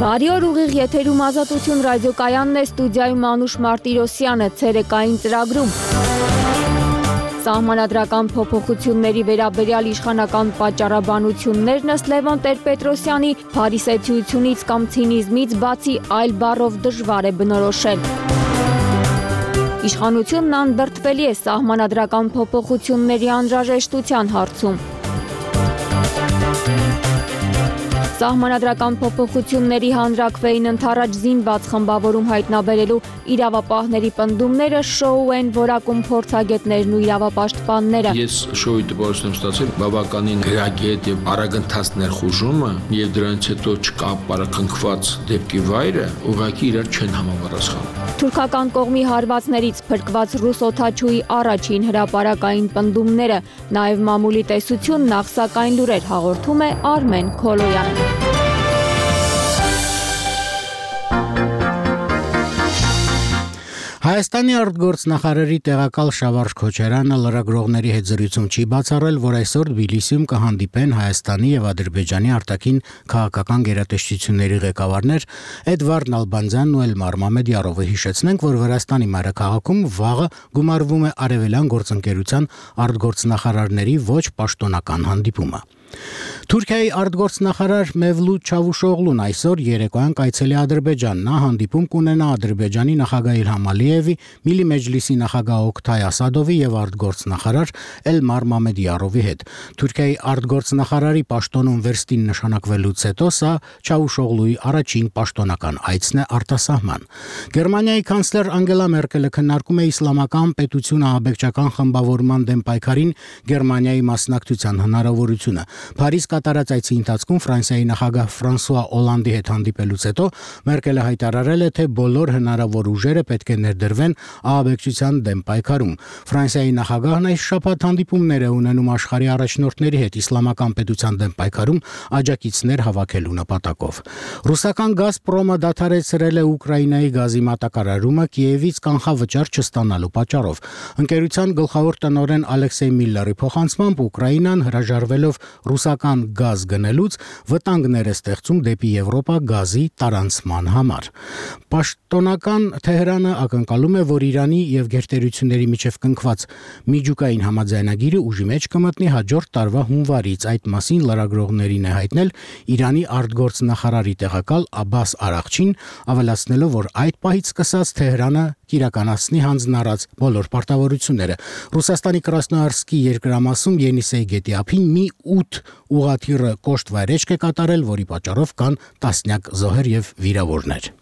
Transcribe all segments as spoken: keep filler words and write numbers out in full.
Բարի օր, ուղիղ եթերում Ազատություն ռադիոկայանն է, ստուդիայում Անուշ Մարտիրոսյանը, ցերեկային ծրագրում։ Սահմանադրական փոփոխությունների վերաբերյալ իշխանական պատճառաբանություններն ըստ Լևոն Տեր-Պետրոսյանի փարիսեցիությունից կամ ցինիզմից բացի այլ բառով դժվար է բնորոշել։ Իշխանությունն անդրդվելի է սահմանադրական փոփոխությունների անհրաժեշտության հարցում։ Սահմանադրական փոփոխությունների հանրաքվեին ընդառաջ զինված խմբավորում հայտնաբերելու իրավապահների պնդումները շոու են որակում փորձագետներն ու իրավապաշտպանները։ Ես շոուի տպավորություն եմ ստացել բավականին գրագետ եւ արագընթաց ներխուժումը եւ դրանից հետո չկա պարակնքված դեպքի վայրը ուղղակի իրար չեն համապատասխանում։ Թուրքական կողմի հարվածներից փրկված ռուս օդաչուի առաջին հրապարակային պնդումները, նաև մամուլի տեսություն նախսակային լուրեր հաղորդում է Արմեն Քոլոյանը։ Հայաստանի արտգործնախարարի տեղակալ Շավարժ Քոչարյանը լրագրողների հետ զրույցում չի բացառել, որ այսօր Թբիլիսիում կհանդիպեն Հայաստանի եւ Ադրբեջանի արտաքին քաղաքական գերատեսչությունների ղեկավարներ Էդվարդ Նալբանդյանն ու Էլմար Մամեդյարովը։ Հիշեցնենք, որ Վրաստանի մայրաքաղաքում վաղը գումարվում է արևելյան գործընկերության արտգործնախարարների ոչ պաշտոնական հանդիպումը։ Թուրքիայի արտգործնախարար Մևլութ Չավուշօղլուն այսօր երեկոյան կայցելի Ադրբեջան։ Նա հանդիպում կունենա Ադրբեջանի նախագահ Իլհամ Ալիևի, Միլի Մեջլիսի նախագահ Օկթայ Ասադովի եւ արտգործնախարար Էլմար Մամեդյարովի հետ։ Թուրքիայի արտգործնախարարի պաշտոնում վերստին նշանակվելուց հետո սա Չավուշօղլուի առաջին պաշտոնական այցն է արտասահման։ Գերմանիայի կանցլեր Անգելա Մերկելը քննարկում է իսլամական պետություն ահաբեկչական խմբավորման դեմ պայքարին Գերմանիայի մասնակցության հնարավորությունը։ Փարիզ կատարած այցի ընթացքում Ֆրանսիայի նախագահ Ֆրանսուଆ Օլանդի հետ հանդիպելուց հետո Մերկելը հայտարարել է, թե բոլոր հնարավոր ուժերը պետք է ներդրվեն ահաբեկչության դեմ պայքարում։ Ֆրանսիայի նախագահն այս շաբաթ հանդիպումներ է ունենում աշխարհի առաջնորդների հետ իսլամական պետության դեմ պայքարում աջակիցներ հավաքելու նպատակով։ Ռուսական Գազպրոմը դադարեցրել է Ուկրաինայի գազի մատակարարումը Կիևից կանխավճար չստանալու պատճառով։ Ընկերության գլխավոր տնօրեն Ալեքսեյ Միլլերի փոխանցմամբ Ուկրաինան հրաժարվելով ռուսական գազ գնելուց վտանգներ է ստեղծում դեպի Եվրոպա գազի տարանցման համար։ Պաշտոնական Թեհրանը ակնկալում է, որ Իրանի եւ գերտերությունների միջև կնքված միջուկային համաձայնագիրը ուժի մեջ կմտնի հաջորդ տարվա հունվարից։ Այդ մասին լրագրողներին է հայտնել Իրանի արտգործնախարարի տեղակալ Աբբաս Արաղչին, ավելացնելով, որ այդ պահից սկսած Թեհրանը կիրականացնի հանձնարարած բոլոր պարտավորությունները։ Ռուսաստանի Կրասնոյարսկի երկրամասում Ենիսեյ գետի ափին մի ութ ուղղաթիռը կոշտ վայրեջք է կատարել, որի պատճառով կան տասնյակ զոհեր եւ վիրավորներ։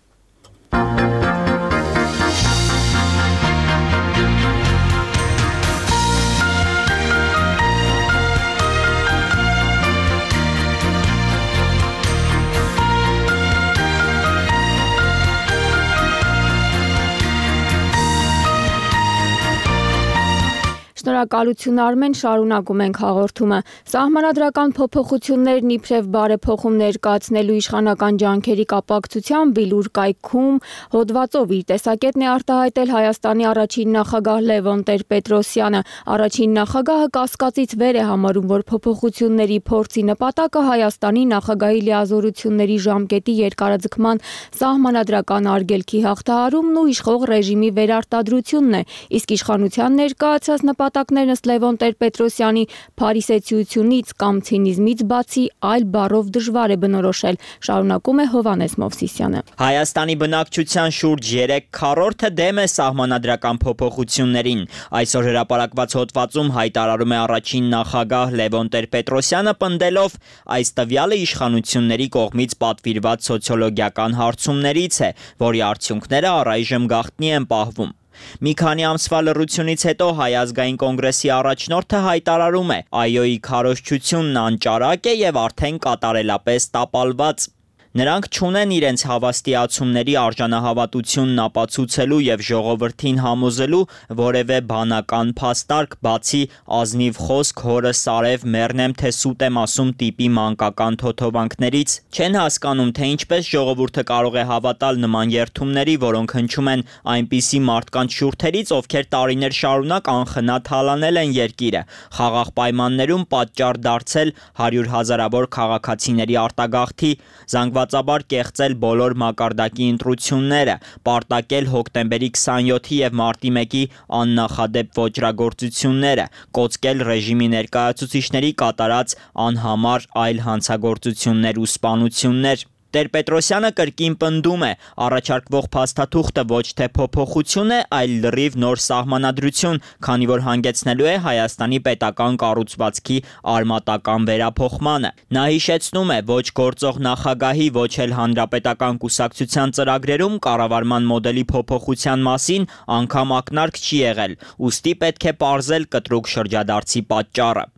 Շնորհակալություն Արմեն, շարունակում ենք հաղորդումը։ Սահմանադրական փոփոխություններն իբրև բարեփոխում ներկայացնելու իշխանական ջանքերի կապակցությամբ Բիլուր կայքում հոդվածով իր տեսակետն է արտահայտել Հայաստանի առաջին նախագահ Լևոն Տեր-Պետրոսյանը։ Առաջին նախագահը կասկածից վեր է համարում, որ փոփոխությունների փորձի նպատակը Հայաստանի նախագահի լիազորությունների ժամկետի երկարաձգման սահմանադրական արգելքի հաղթահարումն ու իշխող ռեժիմի վերարտադրությունն է, իսկ իշխանության ներկայացած նպատակներն ըստ Լևոն Տեր-Պետրոսյանի փարիսեցիությունից կամ ցինիզմից բացի այլ բառով դժվար է բնորոշել, շարունակում է Հովհաննես Մովսիսյանը։ Հայաստանի բնակչության շուրջ երեք քառորդը դեմ է սահմանադրական փոփոխություններին։ Այսօր հրապարակված հոդվածում հայտարարում է առաջին նախագահ Լևոն Տեր-Պետրոսյանը, պնդելով այս տվյալը իշխանությունների կողմից պատվիրված սոցիոլոգիական հարցումներից է, որի արդյունքները առայժմ գաղտնի են պահվում։ Մի քանի ամսվա լռությունից հետո Հայ ազգային կոնգրեսի առաջնորդը հայտարարում է. «Այոյի քարոզչությունն անճարակ է եւ արդեն կատարելապես տապալված»։ Նրանք չունեն իրենց հավաստիացումների արժանահավատությունն ապացուցելու եւ ժողովրդին համոզելու որևէ բանական փաստարկ, բացի ազնիվ խոսք հորը սարև մեռնեմ թե սուտ եմ ասում տիպի մանկական թոթովանքներից։ Չեն հասկանում, թե ինչպես ժողովուրդը կարող է հավատալ նման երդումների, որոնք հնչում են այնպիսի մարդկանց շուրթերից, ովքեր տարիներ շարունակ անխնա թալանել են երկիրը, խաղաղ պայմաններում պատճառ դարձել հարյուր հազարավոր քաղաքացիների արտագաղթի, զանգված կարգվածաբար կեղծել բոլոր մակարդակի ընտրությունները, պարտակել հոկտեմբերի քսանյոթի եւ մարտի մեկի աննախադեպ ոճրագործությունները, կոծկել ռեժիմի ներկայացուցիչների կատարած անհամար այլ հանցագործություններ ու սպանություններ։ Տեր-Պետրոսյանը կրկին պնդում է, առաջարկվող փաստաթուղթը ոչ թե փոփոխություն է, այլ լրիվ նոր սահմանադրություն, քանի որ հանգեցնելու է Հայաստանի պետական կառուցվածքի արմատական վերափոխմանը։ Նա հիշեցնում է, ոչ գործող նախագահի, ոչ էլ հանրապետական կուսակցության ծրագրերում կառավարման մոդելի փոփոխության մասին անգամ ակնարկ չի եղել, ուստի պետք է պարզել կտրուկ շրջադարձի պատճառը։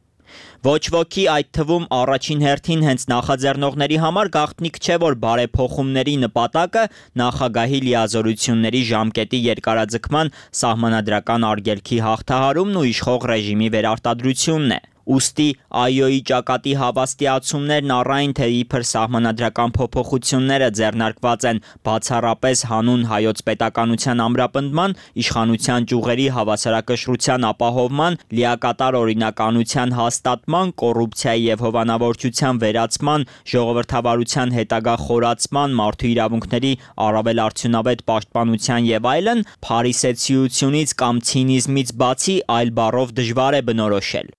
Ոչ ոքի, այդ թվում առաջին հերթին հենց նախաձեռնողների համար գաղտնիք չէ, որ բարեփոխումների նպատակը նախագահի լիազորությունների ժամկետի երկարաձգման սահմանադրական արգելքի հաղթահարումն ու իշխող ռեժիմի վերարտադրությունն է։ Ուստի ԱՅՈ-ի ճակատի հավաստիացումներն առայն թե իբր սահմանադրական փոփոխությունները ձեռնարկված են բացառապես հանուն հայոց պետականության ամրապնդման, իշխանության ճյուղերի հավասարակշռության ապահովման, լիակատար օրինականության հաստատման, կոռուպցիայի եւ հովանավորչության վերացման, ժողովրդավարության հետագա խորացման, մարդու իրավունքների առավել արդյունավետ պաշտպանության եւ այլն, փարիսեցիությունից կամ ցինիզմից բացի այլ բառով դժվար է բնորոշել։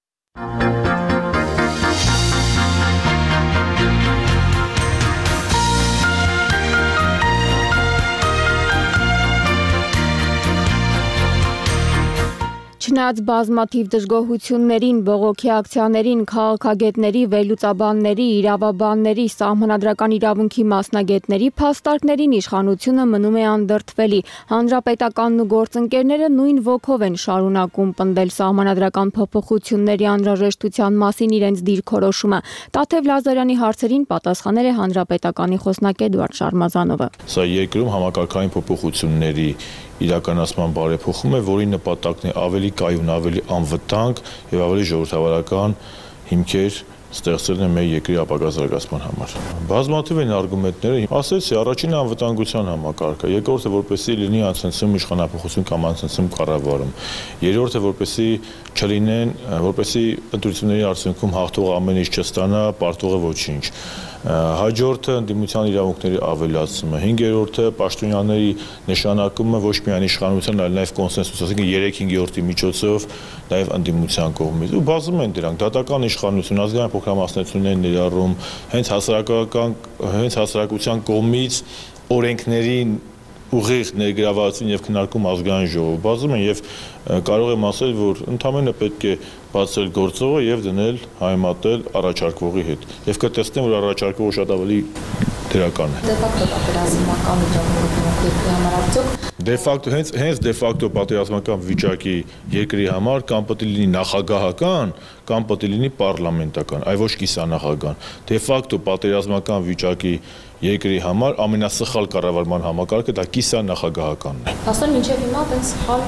Չնայած բազմաթիվ դժգոհություններին, բողոքի ակցիաներին, քաղաքագետների, վերլուծաբանների, իրավաբանների, սահմանադրական իրավունքի մասնագետների փաստարկներին իշխանությունը մնում է անդրդվելի։ Հանրապետականն ու գործընկերները նույն ոգով են շարունակում պնդել սահմանադրական փոփոխությունների անհրաժեշտության մասին իրենց դիրքորոշումը։ Տաթև Լազարյանի հարցերին պատասխանել է Հանրապետականի խոսնակ Էդուարդ Շարմազանովը։ Սա երկրում համակարգային փոփոխությունների իրականացման բարեփոխում է, որի նպատակն է ավելի կայուն, ավելի անվտանգ եւ ավելի ժողովրդավարական հիմքեր ստեղծելն է մեր երկրի ապագա զարգացման համար։ Բազմաթիվ են արգումենտները, ասեցի, առաջինը անվտանգության համակարգը, երկրորդը որպեսզի լինի անցնցում իշխանապահություն կամ անցնցում կառավարում, երրորդը որպեսզի չլինեն, որպեսզի ընտրությունների արդյունքում հաղթողը ամեն ինչ չստանա, պարտողը ոչինչ։ Հաջորդը ընդդիմության իրավունքների ավելացումը, հինգերորդը պաշտոնյաների նշանակումը ոչ միայն իշխանության, այլ նաև կոնսենսուս, ասենք երեք հինգերորդի միջոցով նաև ընդդիմության կողմից։ Ու բազում են դրանք, դատական իշխանություն, ազգային փոքրամասնություններ ներառում, հենց հասարակական, հենց հասարակության կողմից օրենքներին ուղիղ ներգրավվածություն եւ քննարկում ազգային ժողով բազում են եւ կարող եմ ասել, որ ընդհանրապես պետք է բացել գործողը եւ դնել հայմատել առաջարկվողի հետ։ Եվ կտեսնեմ, որ առաջարկողը շատ ավելի դրական է։ Դե ֆակտո հենց հենց դե ֆակտո պատերազմական վիճակի երկրի համար կամ պետք է լինի նախագահական, կամ պետք է լինի պարլամենտական, այ ոչ կիսանախագահան։ Դե ֆակտո պատերազմական վիճակի երկրի համար ամենասխալ կառավարման համակարգը դա կիսանախագահականն է։ Ասում մինչև հիմա այդպես սխալ։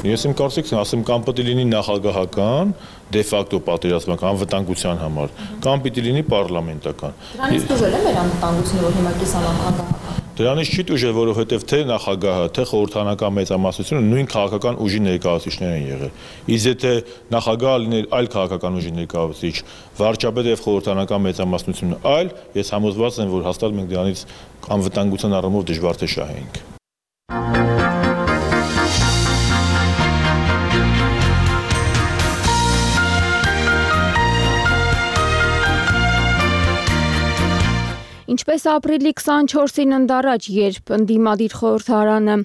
Ես իմ կարծիքն ասեմ, կամ պետք է լինի նախագահական, դե ֆակտո պատերազմական անվտանգության համար, կամ պիտի լինի պարլամենտական։ Դրանից դժվար է մեր անվտանգությունը, որ հիմա կիսանախագահական։ Դրանից չի դժվար, որովհետև թե նախագահը, թե խորհրդանական մեծամասնությունը նույն քաղաքական ուժի ներկայացուցիչներ են եղել։ Իսկ եթե նախագահը լիներ այլ քաղաքական ուժի ներկայացուցիչ, վարչապետը եւ խորհրդանական մեծամասնությունը այլ, ես համոզված եմ, որ հաստատ մենք դրանից անվտանգության առումով դժվար թե շահենք։ Ինչպես ապրիլի քսանչորսին ընդառաջ, երբ ընդդիմադիր խորհրդարանը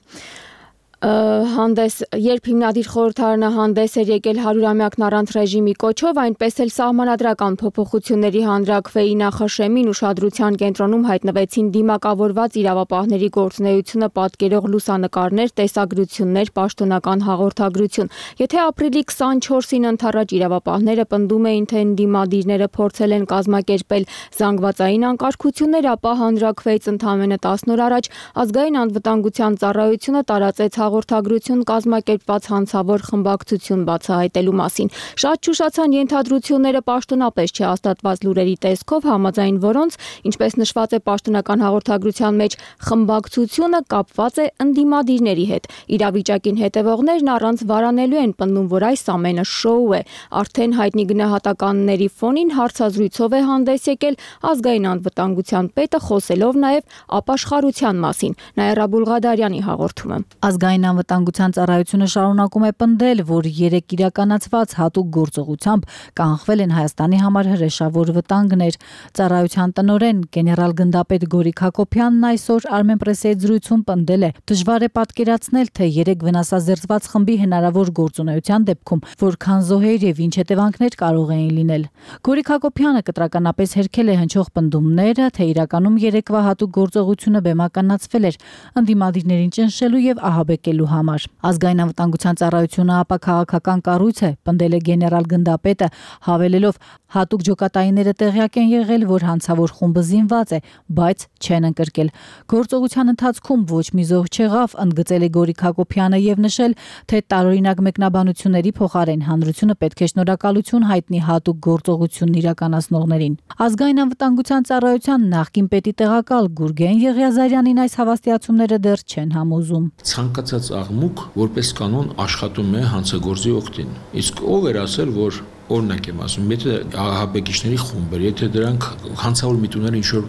հանդես երբ հիմնադիր խորհրդարանը հանդես էր եկել հարյուրամյակն առանց ռեժիմի կոչով, այնպես էլ սահմանադրական փոփոխությունների հանրաքվեի նախաշեմին ուշադրության կենտրոնում հայտնվեցին դիմակավորված իրավապահների գործունեությունը պատկերող լուսանկարներ, տեսագրություններ, պաշտոնական հաղորդագրություն։ Եթե ապրիլի քսանչորսին ընդառաջ իրավապահները պնդում էին, թե ընդդիմադիրները փորձել են կազմակերպել զանգվածային անկարգություններ, ապա հանրաքվեից ընդամենը տասն օր առաջ ազգային անվտանգության ծառայությունը տարածեց հաղորդագրություն կազմակերպված հանցավոր խմբակցություն բացահայտելու մասին։ Շատ չուշացան ենթադրությունները պաշտոնապես չհաստատված լուրերի տեսքով, համաձայն որոնց, ինչպես նշված է պաշտոնական հաղորդագրության մեջ, խմբակցությունը կապված է ընդդիմադիրների հետ։ Իրավիճակին հետևողներն առանց վարանելու են պնդում, որ այս ամենը շոու է։ Արդեն հայտնի գնահատականների ֆոնին հարցազրույցով է հանդես եկել ազգային անվտանգության պետը, խոսելով նաև ապաշխարության մասին։ Նաիրա Բուլղադարյանի հաղորդումը։ Ազգային անվտանգության ծառայությունը շարունակում է պնդել, որ երեք իրականացված հատուկ գործողությամբ կանխվել են Հայաստանի համար հրեշավոր վտանգներ։ Ծառայության տնօրեն գեներալ գնդապետ Գորիկ Հակոբյանն այսօր Armenpress-ի հետ զրույցում պնդել է. դժվար է պատկերացնել, թե երեք վնասազերծված խմբի հնարավոր գործունեության դեպքում որքան զոհեր եւ ինչ հետևանքներ կարող էին լինել։ Գորիկ Հակոբյանը կտրականապես հերքել է հնչող պնդումները, թե իրականում երեկվա հատուկ գործողությունը բեմականացվել էր ընդդիմադիրներին ճնշելու եւ ահաբեկելու համար։ Ազգային անվտանգության ծառայությունը ապա քաղաքական կառույց է, պնդել է գեներալ գնդապետը, հավելելով հատուկ ջոկատայինները տեղյակ են եղել, որ հանցավոր խումբը զինված է, բայց չեն ընկրկել։ Գործողության ընթացքում ոչ մի զոհ չեղավ, ընդգծել է Գորիկ Հակոբյանը եւ նշել, թե տարօրինակ մեկնաբանությունների փոխարեն հանրությունը պետք է շնորհակալություն հայտնի հատուկ գործողությունն իրականացնողներին։ Ազգային անվտանգության ծառայության նախկին պետի տեղակալ Գուրգեն Եղիազարյանին այս հավաստիացումները դեռ չեն համոզում։ Ցանկացած աղմուկ որպես կանոն աշխատում է հանցագործի օգտին։ Իսկ ով էր ասել, որ օրինակ եմ ասում, եթե ահաբեկիչների խումբ էր, եթե դրանք հանցավոր միտումները ինչ-որ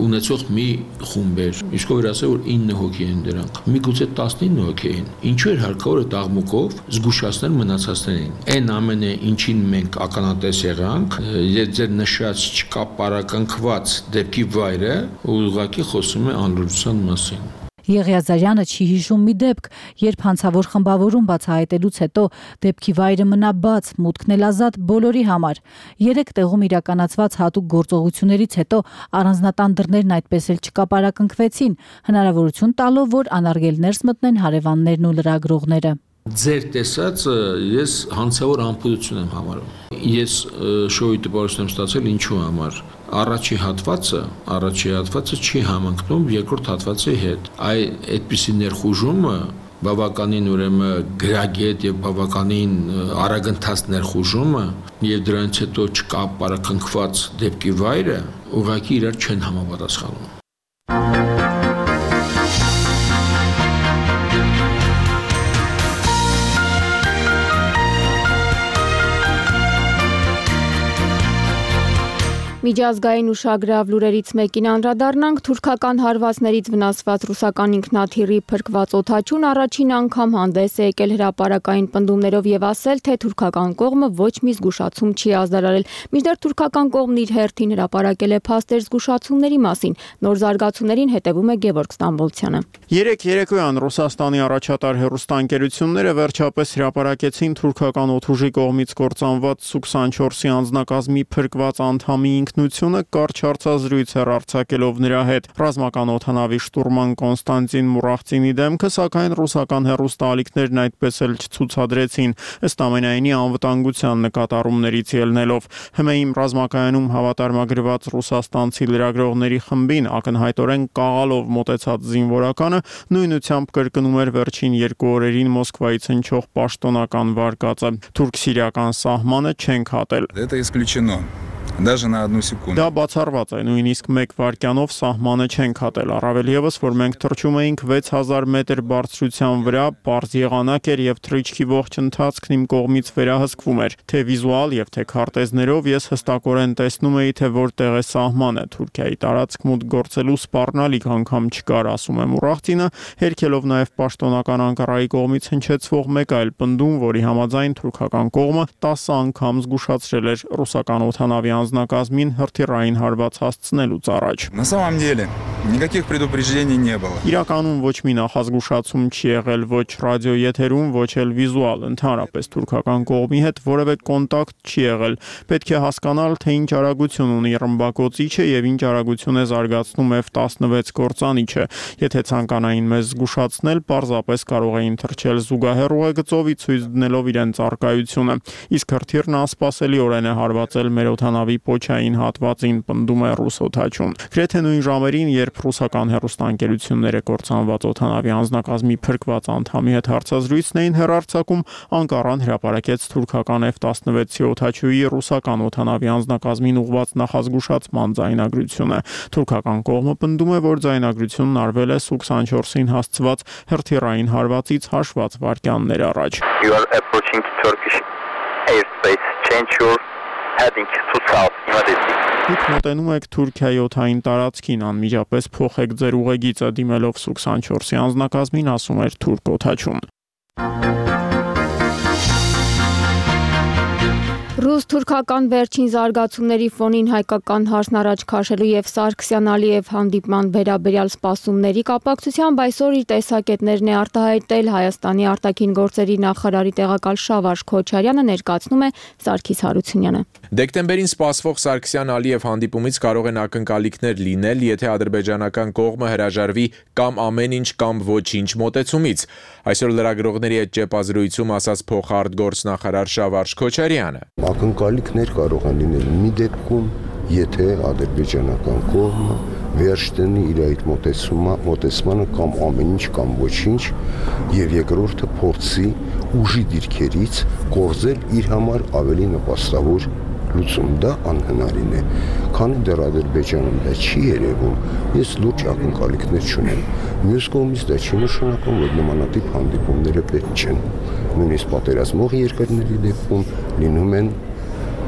ունեցող մի խումբ էր, իսկ ով էր ասել, որ ինը հոգի են դրանք, միգուցե տասնինը հոգի էին, ինչու էր հարկավոր այդ աղմուկով զգուշացնել մնացածներին։ Այն ամենը, ինչին մենք ականատես եղանք, ձեր նշած չկապարակնքված դեպքի վայրը ուղղակի խոսում է անլուրջության մասին։ Եղիազարյանը չի հիշում մի դեպք, երբ հանցավոր խմբավորում բացահայտելուց հետո դեպքի վայրը մնա բաց, մուտքն էլ ազատ բոլորի համար։ Երեք տեղում իրականացված հատուկ գործողություններից հետո առանձնատան դռներն այդպես էլ չկապարակնքվեցին, հնարավորություն տալով, որ անարգելներս մտնեն հարևաններն ու լրագրողները։ Ձեր տեսածը ես հանցավոր անփուդություն եմ համարում։ Ես շոուի տպավորություն եմ ստացել ինչու համար։ Առաջի հատվածը, առաջի հատվածը չի համընկնում երկրորդ հատվածի հետ։ Այ այդպիսի ներխուժումը բավականին ուրեմն գրագետ եւ բավականին արագընթաց ներխուժումը եւ դրանից հետո չկապարակնքված դեպքի վայրը ուղղակի իրար չեն համապատասխանում։ Միջազգային ուշագրավ լուրերից մեկին անդրադառնանք, թուրքական հարվածներից վնասված ռուսական ինքնաթիռի փրկված օդաչուն առաջին անգամ հանդես է եկել հրապարակային պնդումներով եւ ասել, թե թուրքական կողմը ոչ մի զգուշացում չի ազդարարել։ Մինչդեռ թուրքական կողմն իր հերթին հրապարակել է փաստեր զգուշացումների մասին։ Նոր զարգացումներին հետևում է Գևորգ Ստամբոլցյանը։ Երեք երեկոյան Ռուսաստանի առաջատար հեռուստաընկերությունները վերջապես հրապարակեցին թուրքական օդուժի կողմից կործանված Սու քսանչորսի անձնակազմի փրկված անդամի ինքնությունը կարճ հարցազրույց էր արձակելով նրա հետ։ Ռազմական օդանավի շտուրման Կոնստանտին Մուրախցինի դեմքը, սակայն ռուսական հեռուստաալիքներն այդպես էլ չցուցադրեցին, ըստ ամենայնի անվտանգության նկատառումներից ելնելով։ ՀՄԷ-ի ռազմակայանում հավատարմագրված ռուսաստանցի լրագրողների խմբին ակնհայտորեն կաղալով մոտեցած զինվորականը նույնությամբ կրկնում էր վերջին երկու օրերին Մոսկվայից հնչող պաշտոնական վարկածը. թուրք-սիրիական սահմանը չենք հատել։ Это исключено. Даже на одну секунду. Դա բացառված է, նույնիսկ մեկ վայրկյանով սահմանը չենք հատել, առավել եւս, որ մենք թռչում էինք վեց հազար մետր բարձրության վրա, պարզ եղանակ էր եւ թռիչքի ողջ ընթացքն իմ կողմից վերահսկվում էր, թե վիզուալ եւ թե քարտեզներով ես հստակորեն տեսնում էի, թե որտեղ է սահմանը։ Թուրքիայի տարածք մուտք գործելու սպառնալիք անգամ չկար, ասում է Մուրախցինը, հերքելով նաեւ պաշտոնական Անկարայի կողմից հնչեցվող մեկ այլ պնդում, որի համաձայն թուրքական կողմը տասը անգամ զգուշացրել էր ռուսական օդանավի անձնակազմին հրթիռային հարված հասցնելուց առաջ։ На самом деле никаких предупреждений не было. Իրականում ոչ մի նախազգուշացում չի եղել ոչ ռադիոեթերում, ոչ էլ վիզուալ, ընդհանրապես թուրքական կողմի հետ որևէ կոնտակտ չի եղել։ Պետք է հասկանալ, թե ինչ արագություն ունի ռմբակոծիչը եւ ինչ արագություն է զարգացնում F տասնվեց կործանիչը։ Եթե ցանկանային մեզ զգուշացնել, պարզապես կարող էին թռչել զուգահեռ ուղեգծով, ցույց դնելով իրենց առկայությունը։ Իսկ հրթիռն անսպասելիորեն է հարվածել մեր օդանավի պոչային հատվածին, պնդում է ռուս օդաչուն։ Գրեթե նույն ժամերին, երբ երբ ռուսական հեռուստաընկերությունները կործանված օդանավի անձնակազմի փրկված անդամի հետ հարցազրույցն էին հեռարձակում, Անկարան հրապարակեց թուրքական F տասնվեցի օդաչուի ռուսական օդանավի անձնակազմին ուղղված նախազգուշացման ձայնագրությունը։ Թուրքական կողմը պնդում է, որ ձայնագրությունն արվել է Սու քսանչորսին հասցված հրթիռային հարվածից հաշված վայրկյաններ առաջ։ You are approaching Turkish airspace. Change your heading to south immediately. Դուք մոտենում եք Թուրքիայի օդային տարածքին, անմիջապես փոխեք ձեր ուղեգիծը դիմելով Սու քսանչորսի անձնակազմին, ասում էր թուրք օդաչուն։ Ռուս-թուրքական վերջին զարգացումների ֆոնին հայկական հարցն առաջ քաշելու եւ Սարգսյան-Ալիև հանդիպման վերաբերյալ սպասումների կապակցությամբ այսօր իր տեսակետներն է արտահայտել Հայաստանի արտաքին գործերի նախարարի տեղակալ Շավարժ Քոչարյանը, ներկայացնում է Սարգիս Հարությունյանը։ Դեկտեմբերին սպասվող Սարգսյան-Ալիև հանդիպումից կարող են ակնկալիքներ լինել, եթե ադրբեջանական կողմը հրաժարվի կամ ամեն ինչ կամ ոչինչ մոտեցումից։ Այսօր լրագրողների հետ ճեպազրույցում ասաց փոխարտգործնախարար Շավարժ Քոչարյանը։ Ակնկալիքներ կարող են լինել մի դեպքում, եթե ադրբեջանական կողմը վերջ դնի իր այդ մոտեցմանը կամ ամեն ինչ կամ ոչինչ, եւ երկրորդը փորձի ուժի դիրքերից կորզել իր համար ավելի նպաստավոր լուծում, դա անհնարին է։ Քանի դեռ Ադրբեջանում դա չի երևում, ես լուրջ ակնկալիքներ չունեմ։ Մյուս կողմից դա չի նշանակում, որ նմանատիպ հանդիպումները պետք չեն։ Նույնիսկ պատերազմող երկրների դեպքում լինում են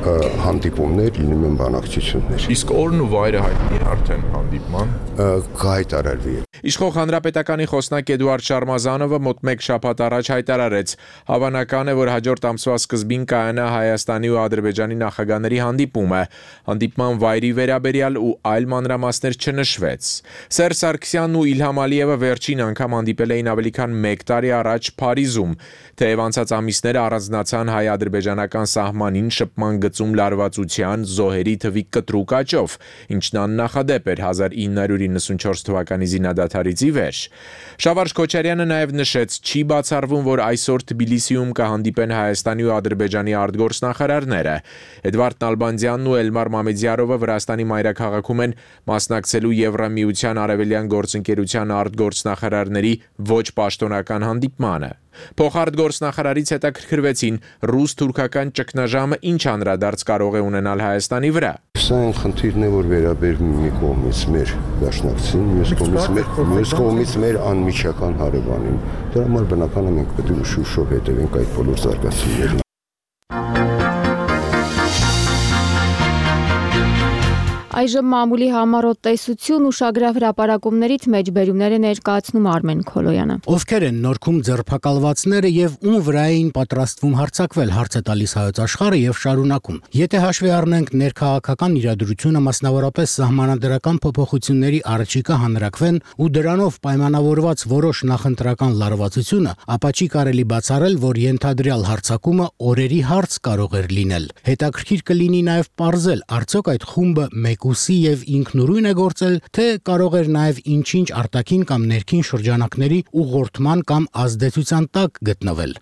հանդիպումներ, լինում են բանակցություններ։ Իսկ օրն ու վայրը հայտնի է արդեն հանդիպման։ Կհայտարարվի։ Իշխող հանրապետականի խոսնակ Էդուարդ Շարմազանովը մոտ մեկ շաբաթ առաջ հայտարարեց. հավանական է, որ հաջորդ ամսվա սկզբին կայանա Հայաստանի ու Ադրբեջանի նախագահների հանդիպումը։ Հանդիպման վայրի վերաբերյալ ու այլ մանրամասներ չնշվեց։ Սերժ Սարգսյանն ու Իլհամ Ալիևը վերջին անգամ հանդիպել էին ավելի քան մեկ տարի առաջ Փարիզում, թեև անցած ամիսները առանձնացան հայ-ադրբեջանական սահմանին շփման գծում լարվածության, զոհերի թվի կտրուկ աճով, ինչն աննախադեպ էր հազար ինը հարյուր իննսունչորս թվականի զինադադարից ի վեր։ Շավարժ Քոչարյանը նաև նշեց, չի բացառվում, որ այսօր Թբիլիսիում կհանդիպեն Հայաստանի ու Ադրբեջանի արտգործնախարարները։ Էդվարդ Նալբանդյանն ու Էլմար Մամեդյարովը Վրաստանի մայրաքաղաքում են մասնակցելու Եվրամիության արևելյան գործընկերության արտգործնախարարների ոչ պաշտոնական հանդիպմանը։ Փոխարտգործնախարարից հետաքրքրվեցին ռուս-թուրքական ճգնաժամը ինչ անդրադարձ կարող է ունենալ Հայաստանի վրա։ Սա այն խնդիրն է, որ վերաբերում մի կողմից մեր դաշնակցին, մյուս կողմից մեր մյուս կողմից մեր անմիջական հարևանին։ Դրա համար բնական է մենք պետք է ուշ-ուշով հետևենք այդ բոլոր զարգացումներին։ Այժմ մամուլի համառոտ տեսություն ուշագրավ հրապարակումներից մեջբերումներ է ներկայացնում Արմեն Քոլոյանը։ Ովքեր են նորքում ձերբակալվածները եւ ում վրա էին պատրաստվում հարձակվել, հարց է տալիս Հայոց Աշխարհը եւ շարունակում։ Եթե հաշվի առնենք ներքաղաքական իրադրությունը, մասնավորապես սահմանադրական փոփոխությունների առաջիկա հանրակվեն ու դրանով պայմանավորված որոշ նախընտրական լարվածությունը, ապա չի կարելի բացառել, որ ենթադրյալ հարձակումը օրերի հարց կարող էր լինել։ Հետաքրքիր կլինի նաեւ պարզել, արդյոք այդ խումբը մեկ ուսի եւ ինքնուրույն է գործել, թե կարող էր նաեւ ինչ-ինչ արտաքին կամ ներքին շրջանակների ուղղորդման կամ ազդեցության տակ գտնվել։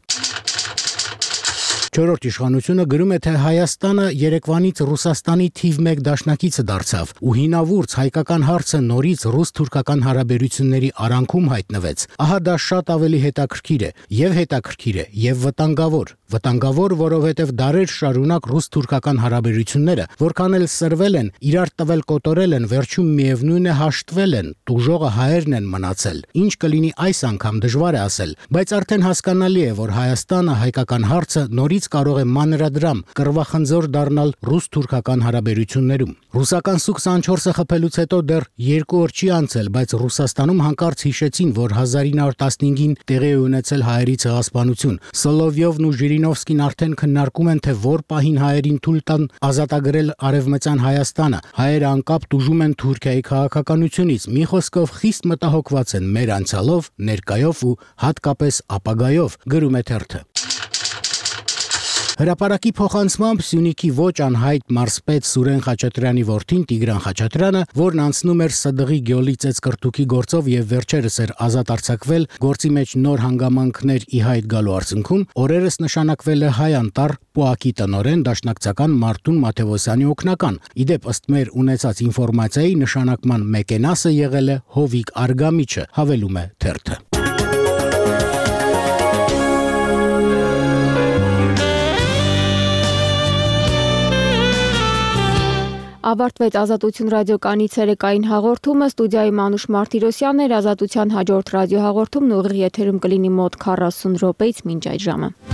Չորրորդ իշխանությունը գրում է, թե Հայաստանը երեկվանից Ռուսաստանի թիվ մեկ դաշնակիցը դարձավ ու հինավուրց հայկական հարցը նորից ռուս-թուրքական հարաբերությունների արանքում հայտնվեց։ Ահա դա շատ ավելի հետաքրքիր է, եւ հետաքրքիր է, եւ վտանգավոր։ Վտանգավոր, որովհետև դարեր շարունակ ռուս-թուրքական հարաբերությունները, որքան էլ սրվել են, իրար տվել կոտորել են, վերջում միևնույն է հաշտվել են, տուժողը հայերն են մնացել։ Ինչ կլինի այս անգամ դժվար է ասել, բայց արդեն հասկանալի է, որ Հայաստանը հայկական հարցը նորից կարող է մանրադրամ, կռվախնձոր դառնալ ռուս-թուրքական հարաբերություններում։ Ռուսական Սու քսանչորսը խփելուց հետո դեռ երկու օր չի անցել, բայց Ռուսաստանում հանկարծ հիշեցին, որ հազար ինը հարյուր տասնհինգին տեղի է ունեցել հայերի ցեղասպանություն։ Սոլովյովն ու Ժիրինովսկին արդեն քննարկում են, թե որ պահին հայերին թույլ տան ազատագրել արևմտյան Հայաստանը։ Հայերը անկապ տուժում են Թուրքիայի քաղաքականությունից։ Մի խոսքով խիստ մտահոգված են մեր անցյալով, ներկայով ու հատկապես ապագայով, գրում է թերթը։ Հրապարակի փոխանցմամբ Սյունիքի ոչ անհայտ մարզպետ Սուրեն Խաչատրյանի որդին Տիգրան Խաչատրյանը, որն անցնում էր Սդղի գյոլի ծեծկրտուքի գործով եւ վերջերս էր ազատ արձակվել, գործի մեջ նոր հանգամանքներ ի հայտ գալու արդյունքում օրերս նշանակվել է Հայ Անտառ ՊՕԱԿ-ի տնօրեն դաշնակցական Մարտուն Մաթեոսյանի օգնական։ Իդեպ ըստ մեր ունեցած ինֆորմացիայի նշանակման մեկենասը եղել է Հովիկ Արգամիչը, հավելում է թերթը։ Ավարտվեց Ազատություն ռադիոկայանի ցերեկային հաղորդումը, ստուդիայի Մանուշ Մարտիրոսյանն էր, Ազատության հաջորդ ռադիոհաղորդումն ուղիղ եթերում կլինի մոտ քառասուն րոպեից մինչ այդ ժամը։